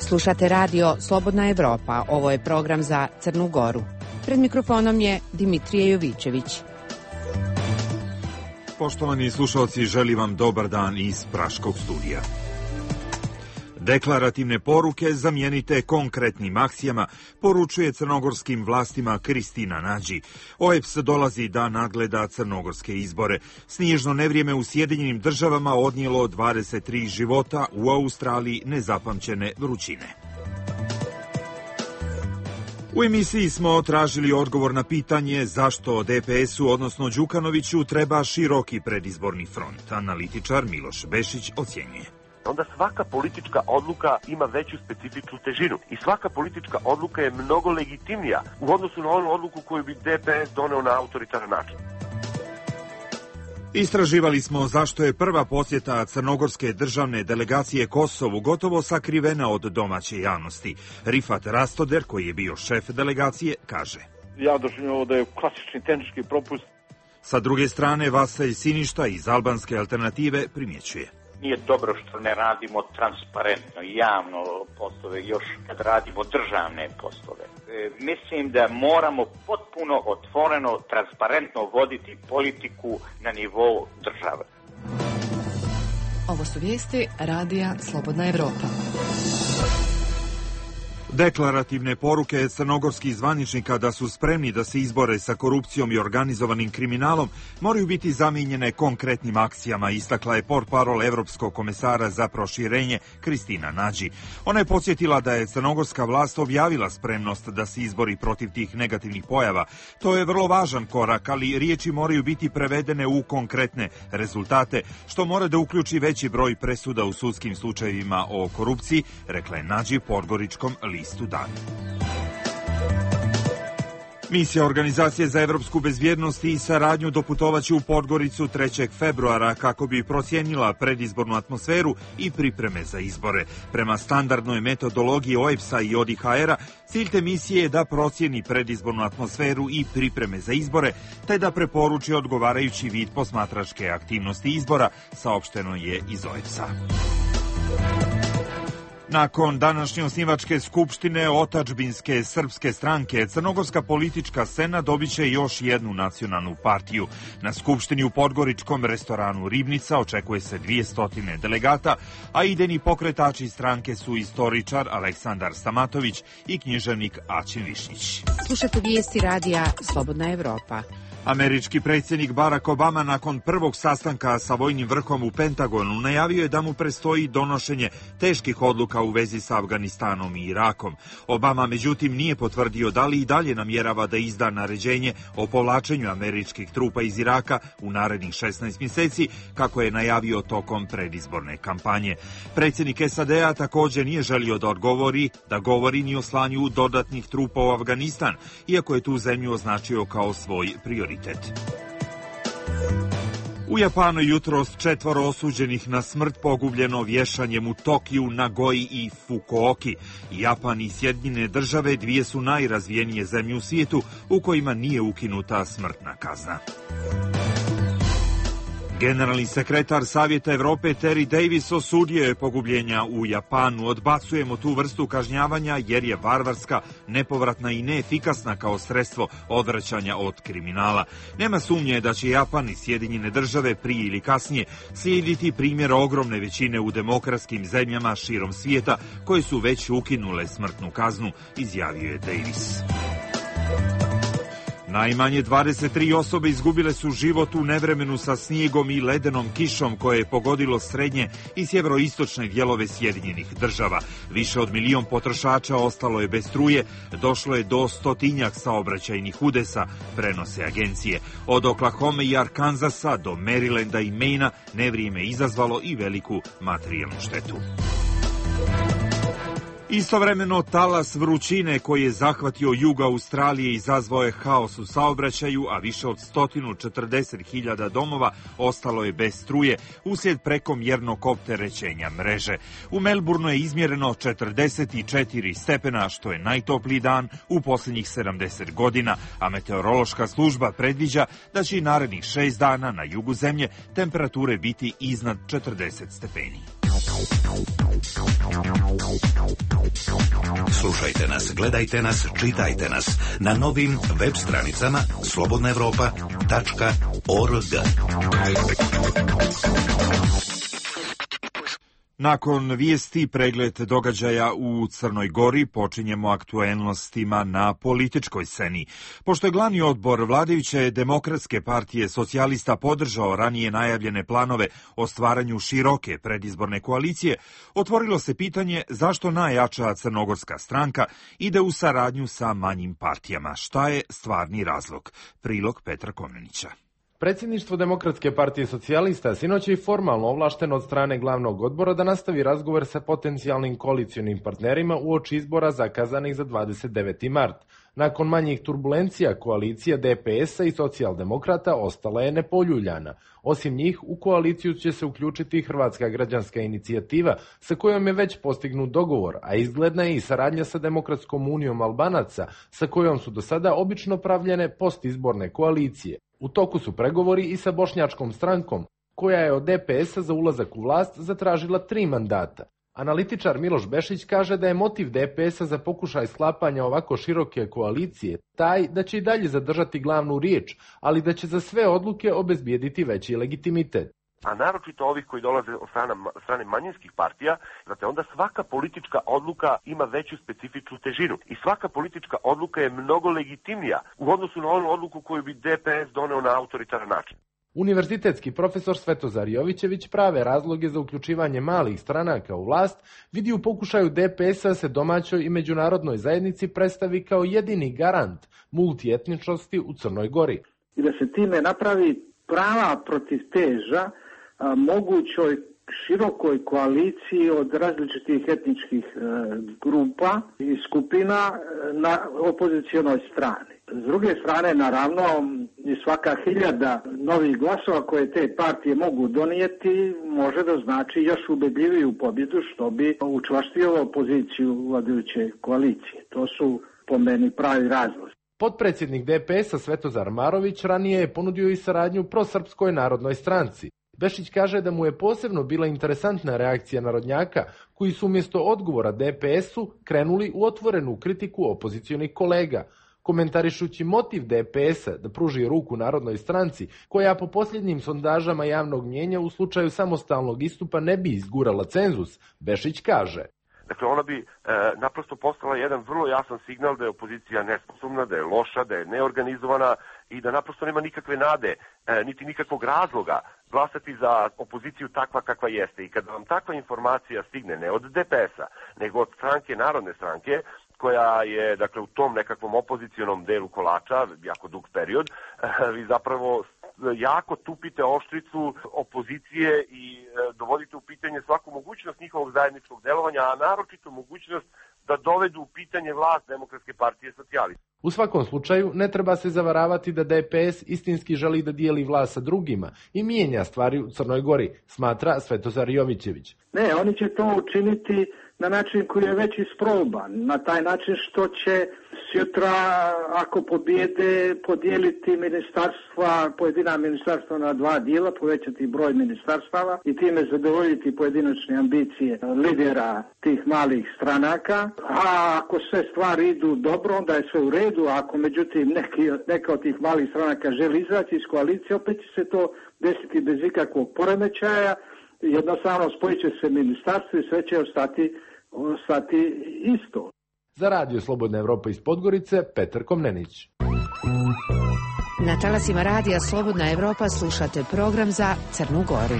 Slušate radio Slobodna Evropa. Ovo je program za Crnu Goru. Pred mikrofonom je Dimitrije Jovićević. Poštovani slušalci, želim vam dobar dan iz Praškog studija. Deklarativne poruke zamijenite konkretnim akcijama, poručuje crnogorskim vlastima Kristina Nađi. OEBS dolazi da nadgleda crnogorske izbore. Snježno nevrijeme u Sjedinjenim Državama odnijelo 23 života, u Australiji nezapamćene vrućine. U emisiji smo tražili odgovor na pitanje zašto DPS-u, odnosno Đukanoviću, treba široki predizborni front. Analitičar Miloš Bešić ocjenjuje. Onda svaka politička odluka ima veću specifičnu težinu i svaka politička odluka je mnogo legitimnija u odnosu na onu odluku koju bi DPS doneo na autoritaran način. Istraživali smo zašto je prva posjeta crnogorske državne delegacije Kosovu gotovo sakrivena od domaće javnosti. Rifat Rastoder, koji je bio šef delegacije, kaže: Ja doživljam ovo da je klasični tehnički propust. Sa druge strane, Vaselj Siništa iz albanske alternative primjećuje: Nije dobro što ne radimo transparentno i javno poslove, još kad radimo državne poslove. Mislim da moramo potpuno otvoreno, transparentno voditi politiku na nivou države. Ovo su vijesti radija Slobodna Evropa. Deklarativne poruke crnogorskih zvaničnika da su spremni da se izbore sa korupcijom i organizovanim kriminalom moraju biti zamijenjene konkretnim akcijama, istakla je portparol Evropskog komesara za proširenje Kristina Nađi. Ona je podsjetila da je crnogorska vlast objavila spremnost da se izbori protiv tih negativnih pojava. To je vrlo važan korak, ali riječi moraju biti prevedene u konkretne rezultate, što mora da uključi veći broj presuda u sudskim slučajevima o korupciji, rekla je Nađi Podgoričkom listu Dan. Misija Organizacije za evropsku bezbjednost i saradnju doputovaće u Podgoricu 3. februara kako bi procijenila predizbornu atmosferu i pripreme za izbore. Prema standardnoj metodologiji OEBS-a i ODIHR-a, cilj te misije je da procijeni predizbornu atmosferu i pripreme za izbore, te da preporuči odgovarajući vid posmatračke aktivnosti izbora, saopšteno je iz OEBS-a. Nakon današnje osnivačke skupštine otadžbinske srpske stranke, crnogorska politička scena dobit će još jednu nacionalnu partiju. Na skupštini u podgoričkom restoranu Ribnica očekuje se 200 delegata, a idejni pokretači stranke su istoričar Aleksandar Stamatović i književnik Aćim Višnjić. Slušate vijesti radija Slobodna Evropa. Američki predsjednik Barack Obama nakon prvog sastanka sa vojnim vrhom u Pentagonu najavio je da mu predstoji donošenje teških odluka u vezi sa Afganistanom i Irakom. Obama međutim nije potvrdio da li i dalje namjerava da izda naređenje o povlačenju američkih trupa iz Iraka u narednih 16 mjeseci, kako je najavio tokom predizborne kampanje. Predsjednik SAD-a također nije želio da govori ni o slanju dodatnih trupa u Afganistan, iako je tu zemlju označio kao svoj prioritet. U Japanu jutros 4 osuđenih na smrt pogubljeno vješanjem u Tokiju, Nagoji i Fukuoki. Japan i Sjedinjene Države dvije su najrazvijenije zemlje u svijetu u kojima nije ukinuta smrtna kazna. Generalni sekretar Savjeta Evrope Terry Davis osudio je pogubljenja u Japanu. Odbacujemo tu vrstu kažnjavanja jer je varvarska, nepovratna i neefikasna kao sredstvo odvraćanja od kriminala. Nema sumnje da će Japan i Sjedinjene Države prije ili kasnije slijediti primjer ogromne većine u demokratskim zemljama širom svijeta koje su već ukinule smrtnu kaznu, izjavio je Davis. Najmanje 23 osobe izgubile su život u nevremenu sa snijegom i ledenom kišom koje je pogodilo srednje i sjeveroistočne dijelove Sjedinjenih Država. Više od 1 milion potrošača ostalo je bez struje, došlo je do 100-tinjak saobraćajnih udesa, prenose agencije. Od Oklahoma i Arkansasa do Marylanda i Maina nevrijeme izazvalo i veliku materijalnu štetu. Istovremeno talas vrućine koji je zahvatio jug Australije izazvao je haos u saobraćaju, a više od 140.000 domova ostalo je bez struje uslijed prekomjernog opterećenja mreže. U Melbourneu je izmjereno 44 stepena, što je najtopliji dan u posljednjih 70 godina, a meteorološka služba predviđa da će i narednih 6 dana na jugu zemlje temperature biti iznad 40 stepeni. Slušajte nas, gledajte nas, čitajte nas na novim web stranicama slobodnaevropa.org. Nakon vijesti pregled događaja u Crnoj Gori počinjemo aktuelnostima na političkoj sceni. Pošto je glavni odbor vladajuće Demokratske partije socijalista podržao ranije najavljene planove o stvaranju široke predizborne koalicije, otvorilo se pitanje zašto najjača crnogorska stranka ide u saradnju sa manjim partijama. Šta je stvarni razlog? Prilog Petra Komnenića. Predsjedništvo Demokratske partije socijalista sinoć je formalno ovlašteno od strane glavnog odbora da nastavi razgovor sa potencijalnim koalicionim partnerima uoči izbora zakazanih za 29. mart. Nakon manjih turbulencija, koalicija DPS-a i socijaldemokrata ostala je nepoljuljana. Osim njih, u koaliciju će se uključiti Hrvatska građanska inicijativa, sa kojom je već postignut dogovor, a izgledna je i saradnja sa Demokratskom unijom Albanaca, sa kojom su do sada obično pravljene postizborne koalicije. U toku su pregovori i sa Bošnjačkom strankom, koja je od DPS-a za ulazak u vlast zatražila 3 mandata. Analitičar Miloš Bešić kaže da je motiv DPS-a za pokušaj sklapanja ovako široke koalicije taj da će i dalje zadržati glavnu riječ, ali da će za sve odluke obezbijediti veći legitimitet. A naročito ovih koji dolaze od strane manjinskih partija, znate, onda svaka politička odluka ima veću specifičnu težinu. I svaka politička odluka je mnogo legitimnija u odnosu na onu odluku koju bi DPS doneo na autoritaran način. Univerzitetski profesor Svetozar Jovićević prave razloge za uključivanje malih stranaka u vlast vidi u pokušaju DPS-a se domaćoj i međunarodnoj zajednici predstavi kao jedini garant multietničnosti u Crnoj Gori. I da se time napravi prava protivteža mogućoj širokoj koaliciji od različitih etničkih grupa i skupina na opozicionoj strani. S druge strane, naravno, i svaka 1000 novih glasova koje te partije mogu donijeti može da znači još ubedljiviju pobjedu, što bi učvrstilo poziciju vladajuće koalicije. To su po meni pravi razlozi. Potpredsjednik DPS-a Svetozar Marović ranije je ponudio i saradnju prosrpskoj narodnoj stranci. Bešić kaže da mu je posebno bila interesantna reakcija narodnjaka, koji su umjesto odgovora DPS-u krenuli u otvorenu kritiku opozicionih kolega. Komentarišući motiv DPS-a da pruži ruku narodnoj stranci, koja po posljednjim sondažama javnog mnijenja u slučaju samostalnog istupa ne bi izgurala cenzus, Bešić kaže: Dakle, ona bi naprosto postala jedan vrlo jasan signal da je opozicija nesposobna, da je loša, da je neorganizovana i da naprosto nema nikakve nade, niti nikakvog razloga glasati za opoziciju takva kakva jeste. I kada vam takva informacija stigne ne od DPS-a, nego od stranke, Narodne stranke, koja je, dakle, u tom nekakvom opozicionom delu kolača, jako dug period, vi zapravo jako tupite oštricu opozicije i dovodite u pitanje svaku mogućnost njihovog zajedničkog delovanja, a naročito mogućnost da dovedu u pitanje vlast Demokratske partije socijalista. U svakom slučaju, ne treba se zavaravati da DPS istinski želi da dijeli vlast sa drugima i mijenja stvari u Crnoj Gori, smatra Svetozar Jovićević. Ne, oni će to učiniti na način koji je već isproban, na taj način što će sutra, ako pobjede, podijeliti ministarstva, pojedina ministarstva na 2 dijela, povećati broj ministarstava i time zadovoljiti pojedinačne ambicije lidera tih malih stranaka. A ako sve stvari idu dobro, onda je sve u redu, a ako međutim neka od tih malih stranaka želi izaći iz koalicije, opet će se to desiti bez ikakvog poremećaja. Jednostavno spojit će se ministarstvo i sve će ostati isto. Za Radio Slobodna Evropa iz Podgorice, Petar Komnenić. Na talasima Radija Slobodna Evropa slušate program za Crnu Goru.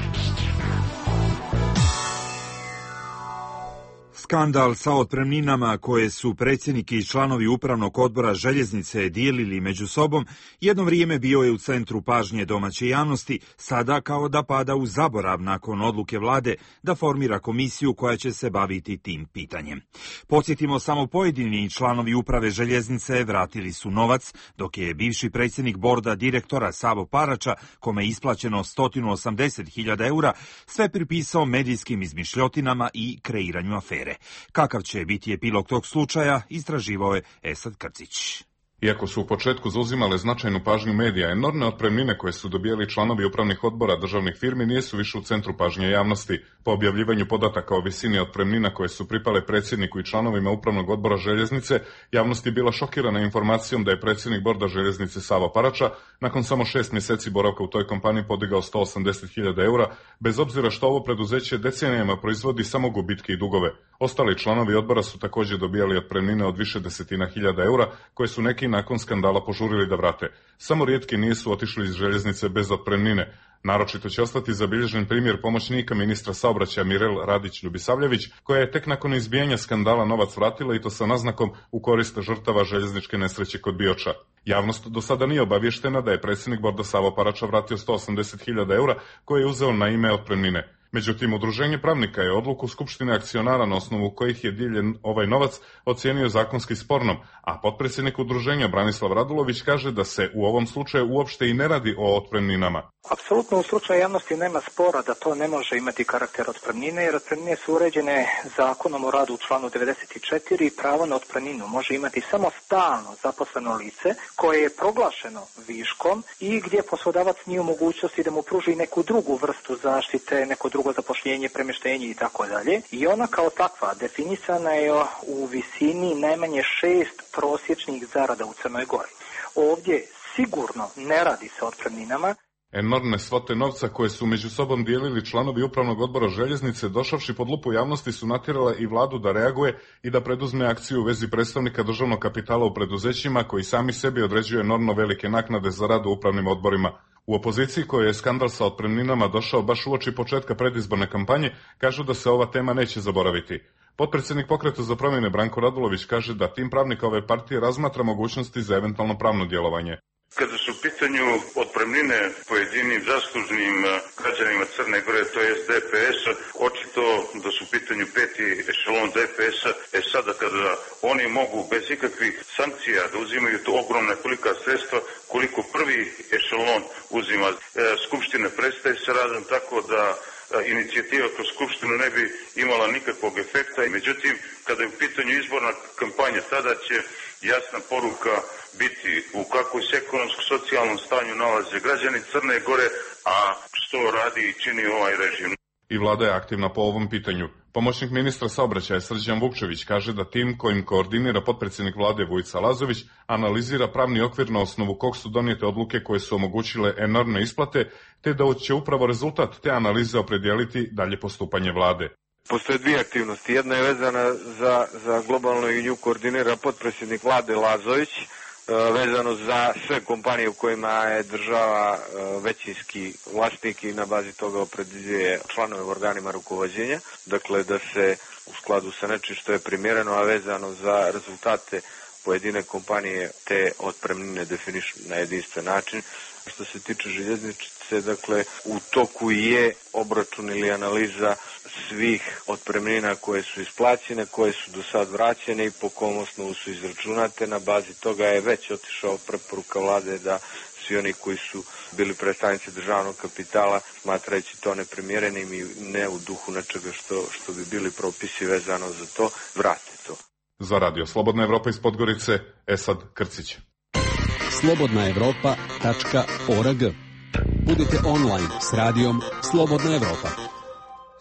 Skandal sa otpremninama koje su predsjednik i članovi upravnog odbora željeznice dijelili među sobom jedno vrijeme bio je u centru pažnje domaće javnosti, sada kao da pada u zaborav nakon odluke vlade da formira komisiju koja će se baviti tim pitanjem. Podsjetimo, samo pojedini članovi uprave željeznice vratili su novac, dok je bivši predsjednik borda direktora Savo Parača, kome je isplaćeno 180.000 eura, sve pripisao medijskim izmišljotinama i kreiranju afere. Kakav će biti epilog tog slučaja, istraživao je Esad Krcić. Iako su u početku zauzimale značajnu pažnju medija, enormne otpremnine koje su dobijali članovi upravnih odbora državnih firmi nisu više u centru pažnje javnosti. Po objavljivanju podataka o visini otpremnina koje su pripale predsjedniku i članovima upravnog odbora Željeznice, javnost je bila šokirana informacijom da je predsjednik borda Željeznice Savo Parača nakon samo 6 mjeseci boravka u toj kompaniji podigao 180.000 eura, bez obzira što ovo preduzeće decenijama proizvodi samo gubitke i dugove. Ostali članovi odbora su također dobijali otpremnine od više desetina hiljada eura, koje su neki nakon skandala požurili da vrate. Samo rijetki nisu otišli iz Željeznice bez otpremnine. Naročito će ostati zabilježen primjer pomoćnika ministra saobraćaja Mirel Radić-Ljubisavljević, koja je tek nakon izbijanja skandala novac vratila i to sa naznakom u korist žrtava željezničke nesreće kod Bioča. Javnost do sada nije obavještena da je predsjednik borda Savo Parača vratio 180.000 eura koje je uzeo na ime otpremnine. Međutim, Udruženje pravnika je odluku Skupštine akcionara na osnovu kojih je dijeljen ovaj novac ocijenio zakonski spornom, a potpredsjednik udruženja Branislav Radulović kaže da se u ovom slučaju uopšte i ne radi o otpremninama. Apsolutno u slučaju javnosti nema spora da to ne može imati karakter otpremnine, jer otpremnine su uređene Zakonom o radu u članu 94 i pravo na otpremninu može imati samo stalno zaposleno lice koje je proglašeno viškom i gdje poslodavac nije u mogućnosti da mu pruži neku drugu vrstu zaštite, neko drugo zapošljenje, premještenje i tako dalje. I ona kao takva definisana je u visini najmanje 6 prosječnih zarada u Crnoj Gori. Ovdje sigurno ne radi se o otpremninama. Enormne svote novca koje su među sobom dijelili članovi upravnog odbora Željeznice, došavši pod lupu javnosti, su natjerale i vladu da reaguje i da preduzme akciju u vezi predstavnika državnog kapitala u preduzećima koji sami sebi određuju enormno velike naknade za rad u upravnim odborima. U opoziciji, kojoj je skandal sa otpremninama došao baš uoči početka predizborne kampanje, kažu da se ova tema neće zaboraviti. Potpredsjednik Pokreta za promjene Branko Radulović kaže da tim pravnika ove partije razmatra mogućnosti za eventualno pravno djelovanje. Kada su u pitanju otpremnine pojedinim zaslužnim građanima Crne Gore, to je DPS, očito da su u pitanju peti ešelon DPS-a, sada kada oni mogu bez ikakvih sankcija da uzimaju to ogromna kolika sredstva, koliko prvi ešelon uzima, Skupština prestaje sa radom, tako da inicijativa kroz Skupštinu ne bi imala nikakvog efekta. Međutim, kada je u pitanju izborna kampanja, tada će jasna poruka biti u kakvom se ekonomsko-socijalnom stanju nalaze građani Crne Gore, a što radi i čini ovaj režim. I vlada je aktivna po ovom pitanju. Pomoćnik ministra saobraćaja Srđan Vukčević kaže da tim kojim koordinira potpredsjednik vlade Vujica Lazović analizira pravni okvir na osnovu kog su donijete odluke koje su omogućile enormne isplate, te da će upravo rezultat te analize opredijeliti dalje postupanje vlade. Postoje dvije aktivnosti. Jedna je vezana za globalno i nju koordinira potpredsjednik vlade Lazović, vezano za sve kompanije u kojima je država većinski vlasnik i na bazi toga opredjeljuje članove u organima rukovođenja. Dakle, da se u skladu sa nečim što je primjereno, a vezano za rezultate pojedine kompanije te otpremnine definišu na jedinstven način. Što se tiče željeznice, dakle, u toku je obračun ili analiza svih otpremnina koje su isplaćene, koje su do sad vraćene i po kom osnovu su izračunate. Na bazi toga je već otišao preporuka vlade da svi oni koji su bili predstavnici državnog kapitala, smatrajući to neprimjerenim i ne u duhu nečega što bi bili propisi vezano za to, vrate to. Za radio Slobodna Evropa iz Podgorice, Esad Krcić. slobodnaevropa.org. Budite online s radijom Slobodna Evropa.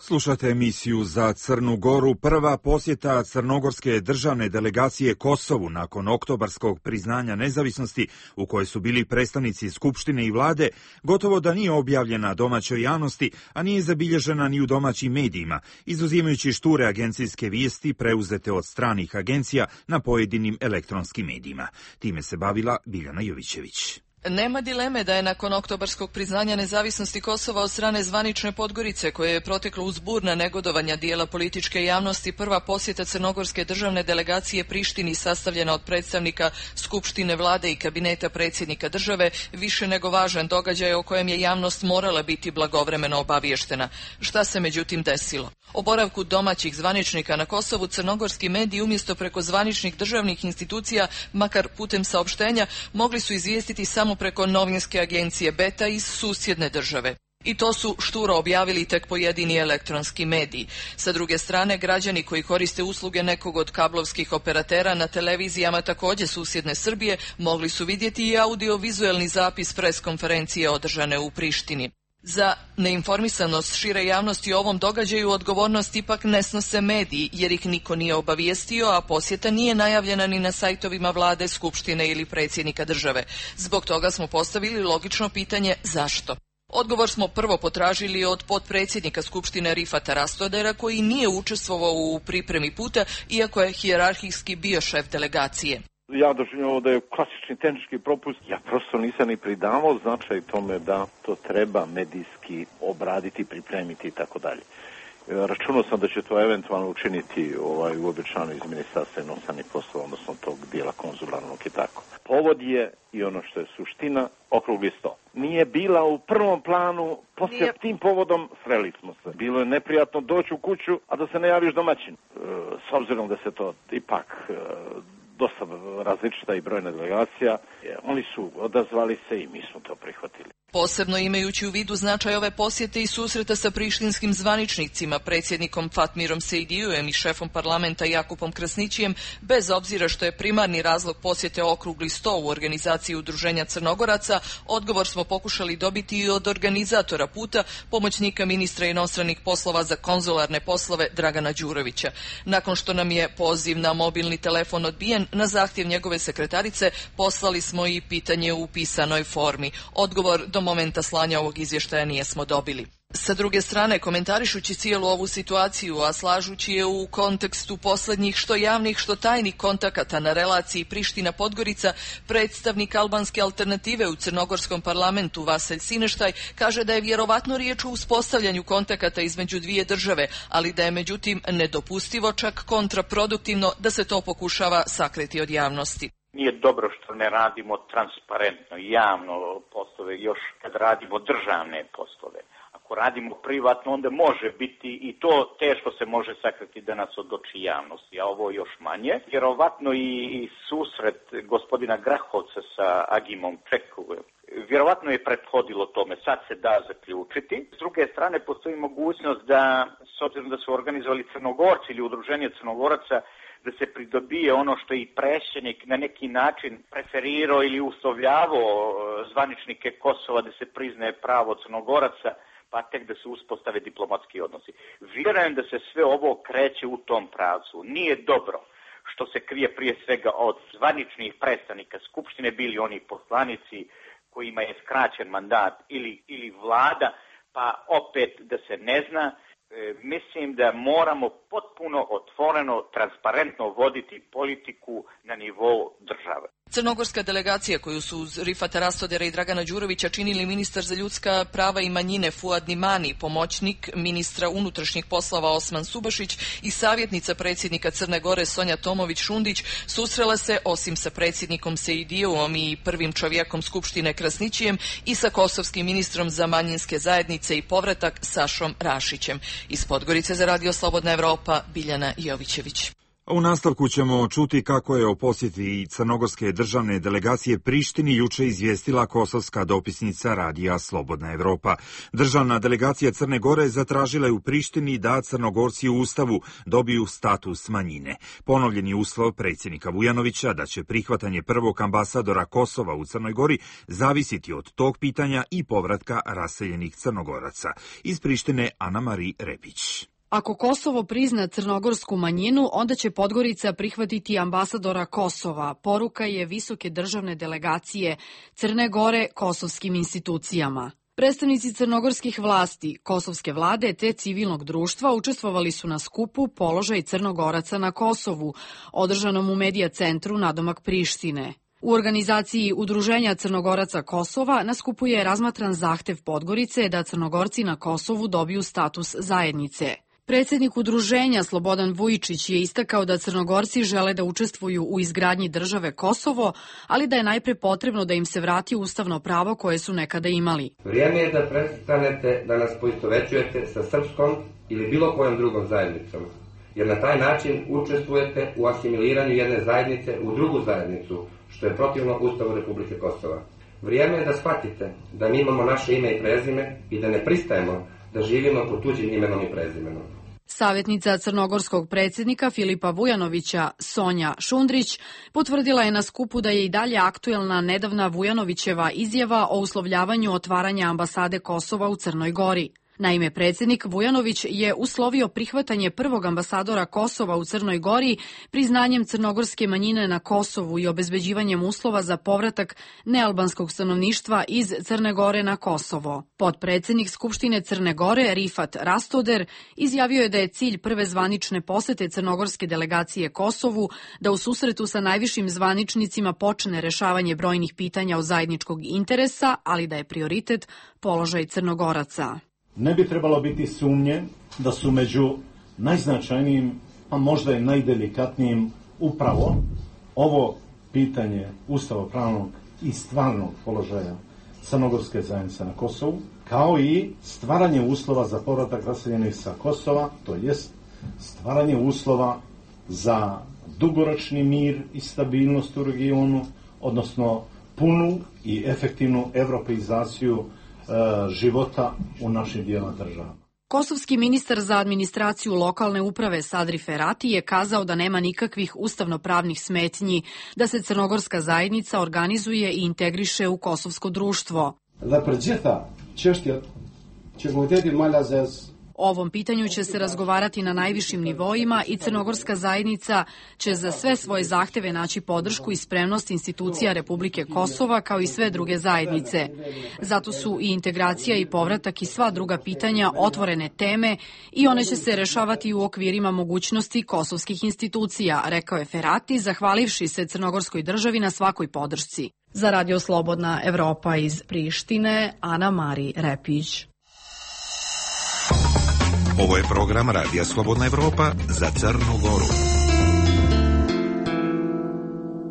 Slušate emisiju za Crnu Goru. Prva posjeta crnogorske državne delegacije Kosovu nakon oktobarskog priznanja nezavisnosti, u kojoj su bili predstavnici Skupštine i vlade, gotovo da nije objavljena domaćoj javnosti, a nije zabilježena ni u domaćim medijima, izuzimajući šture agencijske vijesti preuzete od stranih agencija na pojedinim elektronskim medijima. Time se bavila Biljana Jovićević. Nema dileme da je nakon oktobarskog priznanja nezavisnosti Kosova od strane zvanične Podgorice, koje je proteklo uz burna negodovanja dijela političke javnosti, prva posjeta crnogorske državne delegacije Prištini sastavljena od predstavnika Skupštine vlade i kabineta predsjednika države, više nego važan događaj o kojem je javnost morala biti blagovremeno obaviještena. Šta se međutim desilo? O boravku domaćih zvaničnika na Kosovu crnogorski mediji umjesto preko zvaničnih državnih institucija, makar putem saopštenja, mogli su izvijestiti samo preko novinske agencije Beta iz susjedne države. I to su šturo objavili tek pojedini elektronski mediji. Sa druge strane, građani koji koriste usluge nekog od kablovskih operatera na televizijama također susjedne Srbije mogli su vidjeti i audio-vizuelni zapis pres konferencije održane u Prištini. Za neinformisanost šire javnosti o ovom događaju odgovornost ipak ne snose mediji, jer ih niko nije obavijestio, a posjeta nije najavljena ni na sajtovima vlade, skupštine ili predsjednika države. Zbog toga smo postavili logično pitanje zašto. Odgovor smo prvo potražili od potpredsjednika Skupštine Rifata Rastodera, koji nije učestvovao u pripremi puta, iako je hijerarhijski bio šef delegacije. Ja doživljam da je klasični tehnički propust. Ja prosto nisam ni pridavao značaj tome da to treba medijski obraditi, pripremiti i tako dalje. Računao sam da će to eventualno učiniti uobičajeno iz Ministarstva inostranih poslova, odnosno tog dijela konzularnog i tako. Povod je, i ono što je suština, okrugli sto. Nije bila u prvom planu, poslije tim povodom sreli smo se. Bilo je neprijatno doći u kuću, a da se ne javiš domaćin. S obzirom da se to ipak dosta različita i brojna delegacija, oni su odazvali se i mi smo to prihvatili. Posebno imajući u vidu značaj ove posjete i susreta sa prištinskim zvaničnicima, predsjednikom Fatmirom Sejdijujem i šefom parlamenta Jakupom Krasnićijem, bez obzira što je primarni razlog posjete okrugli sto u organizaciji Udruženja Crnogoraca, odgovor smo pokušali dobiti i od organizatora puta, pomoćnika ministra inostranih poslova za konzularne poslove Dragana Đurovića. Nakon što nam je poziv na mobilni telefon odbijen, na zahtjev njegove sekretarice poslali smo i pitanje u pisanoj formi. Odgovor do momenta slanja ovog izvještaja nijesmo dobili. Sa druge strane, komentarišući cijelu ovu situaciju, a slažući je u kontekstu posljednjih što javnih, što tajnih kontakata na relaciji Priština-Podgorica, predstavnik albanske alternative u crnogorskom parlamentu Vaselj Sineštaj kaže da je vjerovatno riječ o uspostavljanju kontakata između dvije države, ali da je međutim nedopustivo, čak kontraproduktivno, da se to pokušava sakriti od javnosti. Nije dobro što ne radimo transparentno i javno poslove, još kad radimo državne poslove. Ako radimo privatno, onda može biti i to teško se može sakriti danas od oči javnosti, a ovo još manje. Vjerovatno i susret gospodina Grahovca sa Agimom Čekovem, vjerovatno je prethodilo tome, sad se da zaključiti. S druge strane, postoji mogućnost da, s obzirom da su organizovali Crnogorci ili Udruženje Crnogoraca, da se pridobije ono što je i predsjednik na neki način preferirao ili uslovljavao zvaničnike Kosova da se priznaje pravo Crnogoraca, pa tek da se uspostave diplomatski odnosi. Vjerujem da se sve ovo kreće u tom pravcu. Nije dobro što se krije prije svega od zvaničnih predstavnika Skupštine, bili oni poslanici kojima je skraćen mandat ili vlada, pa opet da se ne zna. Mislim da moramo potpuno otvoreno, transparentno voditi politiku na nivou države. Crnogorska delegacija koju su uz Rifata Rastodera i Dragana Đurovića činili ministar za ljudska prava i manjine Fuad Nimani, pomoćnik ministra unutrašnjih poslova Osman Subašić i savjetnica predsjednika Crne Gore Sonja Tomović-Šundić susrela se osim sa predsjednikom Sejdijevom i prvim čovjekom Skupštine Krasnićijem i sa kosovskim ministrom za manjinske zajednice i povratak Sašom Rašićem. Iz Podgorice za Radio Slobodna Evropa, Biljana Jovićević. U nastavku ćemo čuti kako je o posjeti crnogorske državne delegacije Prištini juče izvijestila kosovska dopisnica Radija Slobodna Evropa. Državna delegacija Crne Gore zatražila je u Prištini da Crnogorci u Ustavu dobiju status manjine. Ponovljen je uslov predsjednika Vujanovića da će prihvatanje prvog ambasadora Kosova u Crnoj Gori zavisiti od tog pitanja i povratka raseljenih Crnogoraca. Iz Prištine Ana-Mari Repić. Ako Kosovo prizna crnogorsku manjinu, onda će Podgorica prihvatiti ambasadora Kosova. Poruka je visoke državne delegacije Crne Gore kosovskim institucijama. Predstavnici crnogorskih vlasti, kosovske vlade te civilnog društva učestvovali su na skupu Položaj Crnogoraca na Kosovu, održanom u Medija centru nadomak Prištine. U organizaciji Udruženja Crnogoraca Kosova na skupu je razmatran zahtev Podgorice da Crnogorci na Kosovu dobiju status zajednice. Predsjednik udruženja Slobodan Vujičić je istakao da Crnogorci žele da učestvuju u izgradnji države Kosovo, ali da je najpre potrebno da im se vrati ustavno pravo koje su nekada imali. Vrijeme je da prestanete da nas poistovećujete sa srpskom ili bilo kojom drugom zajednicom, jer na taj način učestvujete u asimiliranju jedne zajednice u drugu zajednicu, što je protivno Ustavu Republike Kosova. Vrijeme je da shvatite da mi imamo naše ime i prezime i da ne pristajemo da živimo pod tuđim imenom i prezimenom. Savjetnica crnogorskog predsjednika Filipa Vujanovića, Sonja Šundrić, potvrdila je na skupu da je i dalje aktuelna nedavna Vujanovićeva izjava o uslovljavanju otvaranja ambasade Kosova u Crnoj Gori. Naime, predsjednik Vujanović je uslovio prihvatanje prvog ambasadora Kosova u Crnoj Gori priznanjem crnogorske manjine na Kosovu i obezbeđivanjem uslova za povratak nealbanskog stanovništva iz Crne Gore na Kosovo. Potpredsjednik Skupštine Crne Gore, Rifat Rastoder, izjavio je da je cilj prve zvanične posete crnogorske delegacije Kosovu da u susretu sa najvišim zvaničnicima počne rešavanje brojnih pitanja od zajedničkog interesa, ali da je prioritet položaj Crnogoraca. Ne bi trebalo biti sumnje da su među najznačajnijim, a možda i najdelikatnijim upravo ovo pitanje ustavnopravnog i stvarnog položaja crnogorske zajednice na Kosovu, kao i stvaranje uslova za povratak raseljenih sa Kosova, to jest stvaranje uslova za dugoročni mir i stabilnost u regionu, odnosno punu i efektivnu evropeizaciju života u našim dijelama država. Kosovski ministar za administraciju lokalne uprave Sadri Ferati je kazao da nema nikakvih ustavnopravnih smetnji, da se crnogorska zajednica organizuje i integriše u kosovsko društvo. O ovom pitanju će se razgovarati na najvišim nivoima i crnogorska zajednica će za sve svoje zahteve naći podršku i spremnost institucija Republike Kosova kao i sve druge zajednice. Zato su i integracija i povratak i sva druga pitanja otvorene teme i one će se rešavati u okvirima mogućnosti kosovskih institucija, rekao je Ferati, zahvalivši se crnogorskoj državi na svakoj podršci. Za Radio Slobodna Evropa iz Prištine, Ana Mari Repić. Ovo je program Radija Slobodna Evropa za Crnu Goru.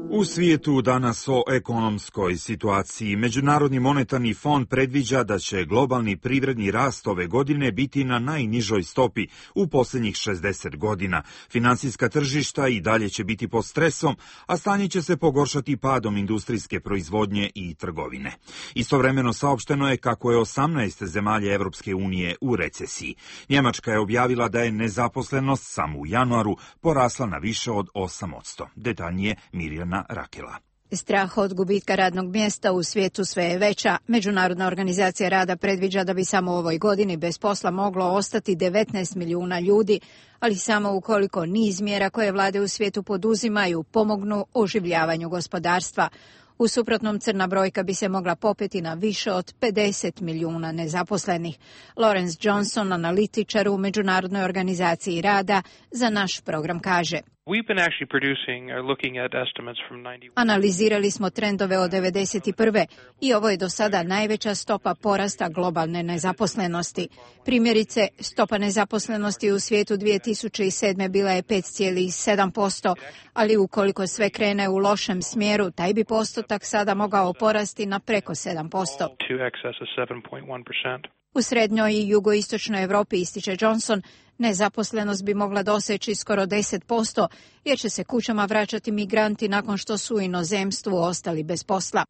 U svijetu danas o ekonomskoj situaciji. Međunarodni monetarni fond predviđa da će globalni privredni rast ove godine biti na najnižoj stopi u posljednjih 60 godina. Finansijska tržišta i dalje će biti pod stresom, a stanje će se pogoršati padom industrijske proizvodnje i trgovine. Istovremeno saopšteno je kako je 18 zemalja Evropske unije u recesiji. Njemačka je objavila da je nezaposlenost samo u januaru porasla na više od 8%. Detaljnije Mirjana Rakela. Strah od gubitka radnog mjesta u svijetu sve je veća. Međunarodna organizacija rada predviđa da bi samo u ovoj godini bez posla moglo ostati 19 milijuna ljudi, ali samo ukoliko niz mjera koje vlade u svijetu poduzimaju pomognu oživljavanju gospodarstva. U suprotnom, crna brojka bi se mogla popeti na više od 50 milijuna nezaposlenih. Lawrence Johnson, analitičar u Međunarodnoj organizaciji rada, za naš program kaže: Analizirali smo trendove od 1991. i ovo je do sada najveća stopa porasta globalne nezaposlenosti. Primjerice, stopa nezaposlenosti u svijetu 2007. bila je 5,7%, ali ukoliko sve krene u lošem smjeru, taj bi postotak sada mogao porasti na preko 7%. U srednjoj i jugoistočnoj Europi, ističe Johnson, nezaposlenost bi mogla doseći skoro 10%, jer će se kućama vraćati migranti nakon što su u inozemstvu ostali bez posla.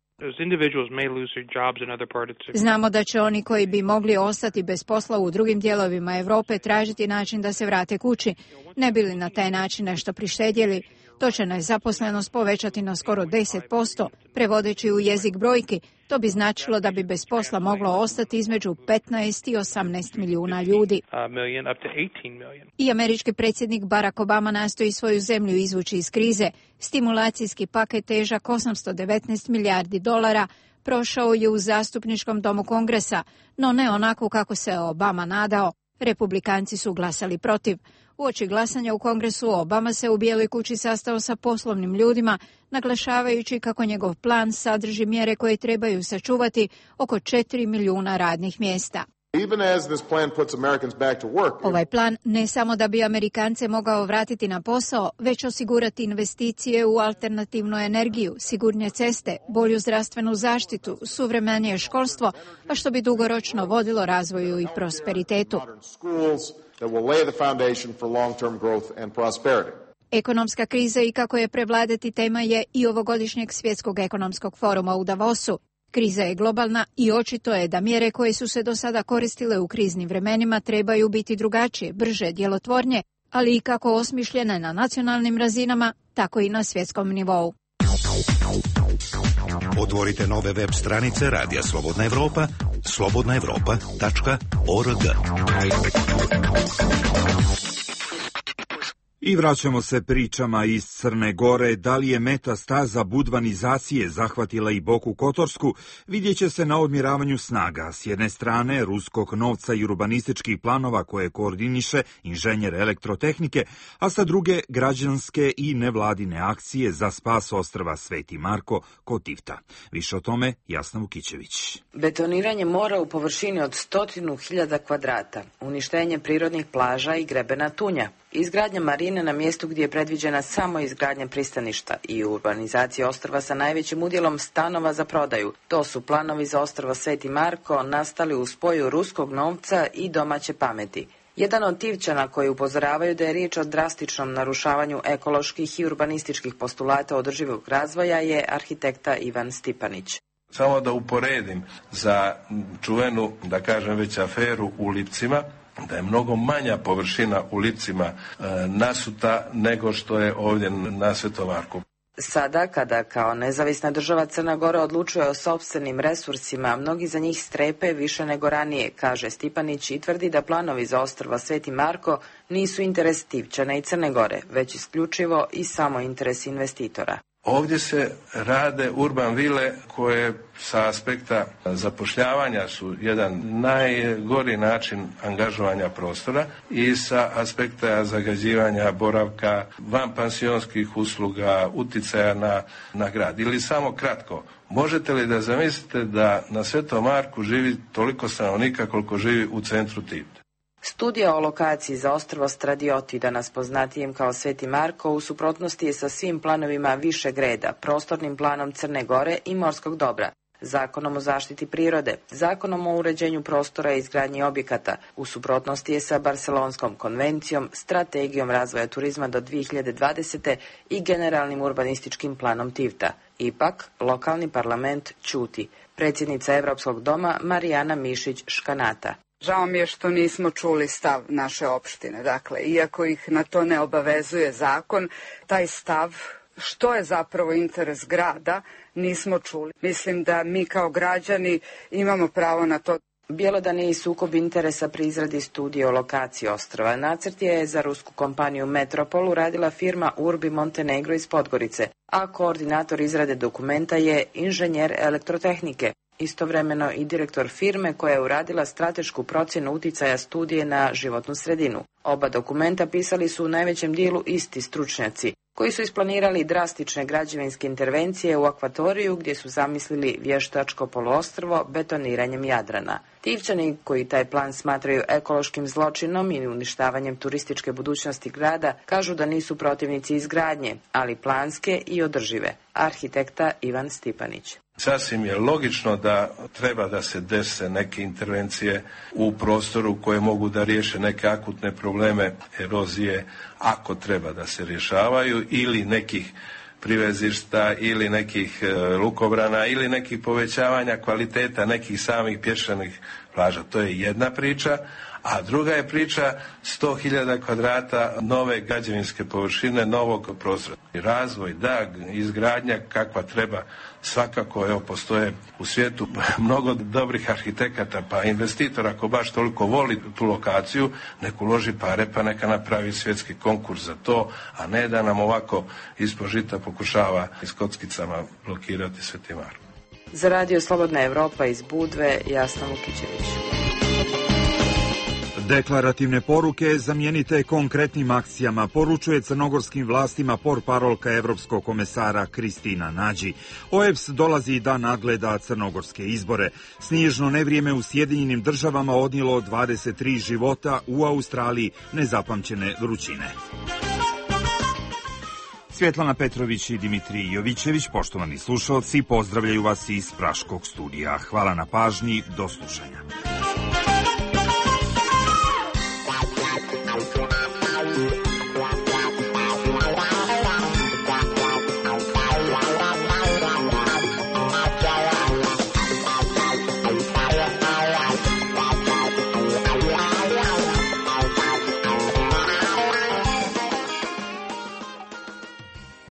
Znamo da će oni koji bi mogli ostati bez posla u drugim dijelovima Europe tražiti način da se vrate kući, ne bi li na taj način nešto prištedjeli. To će nezaposlenost povećati na skoro 10%, prevodeći u jezik brojki. To bi značilo da bi bez posla moglo ostati između 15 i 18 milijuna ljudi. I američki predsjednik Barack Obama nastoji svoju zemlju izvući iz krize. Stimulacijski paket težak $819 milijardi prošao je u zastupničkom domu Kongresa, no ne onako kako se Obama nadao. Republikanci su glasali protiv. Uoči glasanja u Kongresu Obama se u Bijeloj kući sastao sa poslovnim ljudima, naglašavajući kako njegov plan sadrži mjere koje trebaju sačuvati oko 4 milijuna radnih mjesta. Ovaj plan ne samo da bi Amerikance mogao vratiti na posao, već osigurati investicije u alternativnu energiju, sigurnije ceste, bolju zdravstvenu zaštitu, suvremenije školstvo, a što bi dugoročno vodilo razvoju i prosperitetu. Ekonomska kriza i kako je prevladati tema je i ovogodišnjeg svjetskog ekonomskog foruma u Davosu. Kriza je globalna i očito je da mjere koje su se do sada koristile u kriznim vremenima trebaju biti drugačije, brže, djelotvornije, ali i kako osmišljene na nacionalnim razinama, tako i na svjetskom nivou. Otvorite nove web stranice Radija Slobodna Evropa, slobodnaevropa.org. I vraćamo se pričama iz Crne Gore. Da li je metastaza budvanizacije zahvatila i Boku Kotorsku, vidjet će se na odmjeravanju snaga. S jedne strane, ruskog novca i urbanističkih planova koje koordiniše inženjer elektrotehnike, a sa druge građanske i nevladine akcije za spas ostrva Sveti Marko kod Tivta. Više o tome Jasna Vukićević. Betoniranje mora u površini od 100.000 kvadrata, uništenje prirodnih plaža i grebena tunja, izgradnja marine na mjestu gdje je predviđena samo izgradnja pristaništa i urbanizacija ostrva sa najvećim udjelom stanova za prodaju. To su planovi za ostrvo Sveti Marko nastali u spoju ruskog novca i domaće pameti. Jedan od Tivčana koji upozoravaju da je riječ o drastičnom narušavanju ekoloških i urbanističkih postulata održivog razvoja je arhitekta Ivan Stipanić. Samo da uporedim za čuvenu, da kažem već aferu u Lipcima, da je mnogo manja površina u Lipcima nasuta nego što je ovdje na Svetom Marku. Sada, kada kao nezavisna država Crna Gora odlučuje o sopstvenim resursima, mnogi za njih strepe više nego ranije, kaže Stipanić i tvrdi da planovi za ostrvo Sveti Marko nisu interes Tivčana i Crne Gore, već isključivo i samo interes investitora. Ovdje se rade urban vile koje sa aspekta zapošljavanja su jedan najgori način angažovanja prostora i sa aspekta zagađivanja boravka, vanpansionskih usluga, uticaja na grad. Ili samo kratko, možete li da zamislite da na Svetom Marku živi toliko stanovnika koliko živi u centru Tivta? Studija o lokaciji za ostrvo Stradioti, danas poznatijem kao Sveti Marko, u suprotnosti je sa svim planovima višeg reda, prostornim planom Crne Gore i morskog dobra, Zakonom o zaštiti prirode, Zakonom o uređenju prostora i izgradnji objekata, u suprotnosti je sa Barcelonskom konvencijom, Strategijom razvoja turizma do 2020. i generalnim urbanističkim planom Tivta. Ipak, lokalni parlament ćuti. Predsjednica Evropskog doma Marijana Mišić-Škanata. Žao mi je što nismo čuli stav naše opštine. Dakle, iako ih na to ne obavezuje zakon, taj stav, što je zapravo interes grada, nismo čuli. Mislim da mi kao građani imamo pravo na to. Bjelodan je i sukob interesa pri izradi studije o lokaciji ostrva. Nacrt je za rusku kompaniju Metropol uradila firma Urbi Montenegro iz Podgorice, a koordinator izrade dokumenta je inženjer elektrotehnike. Istovremeno i direktor firme koja je uradila stratešku procjenu uticaja studije na životnu sredinu. Oba dokumenta pisali su u najvećem dijelu isti stručnjaci, koji su isplanirali drastične građevinske intervencije u akvatoriju gdje su zamislili vještačko poluostrvo betoniranjem Jadrana. Tivčani, koji taj plan smatraju ekološkim zločinom i uništavanjem turističke budućnosti grada, kažu da nisu protivnici izgradnje, ali planske i održive. Arhitekta Ivan Stipanić. Sasvim je logično da treba da se dese neke intervencije u prostoru koje mogu da riješe neke akutne probleme erozije, ako treba da se rješavaju, ili nekih privezišta, ili nekih lukobrana, ili nekih povećavanja kvaliteta nekih samih pješčanih plaža. To je jedna priča, a druga je priča 100.000 kvadrata nove građevinske površine, novog prostora. Razvoj, da, izgradnja kakva treba, svakako, evo, postoje u svijetu mnogo dobrih arhitekata, pa investitor ako baš toliko voli tu lokaciju, nek uloži pare pa neka napravi svjetski konkurs za to, a ne da nam ovako ispod žita pokušava s kockicama blokirati Sveti Marko. Za Radio Slobodna Evropa iz Budve, Jasna Vukićević. Deklarativne poruke zamijenite konkretnim akcijama, poručuje crnogorskim vlastima portparolka Evropskog komesara Kristina Nađi. OEBS dolazi da nagleda crnogorske izbore. Snježno nevrijeme u Sjedinjenim državama odnijelo 23 života, u Australiji nezapamćene vrućine. Svjetlana Petrović i Dimitrij Jovićević, poštovani slušalci, pozdravljaju vas iz Praškog studija. Hvala na pažnji, do slušanja.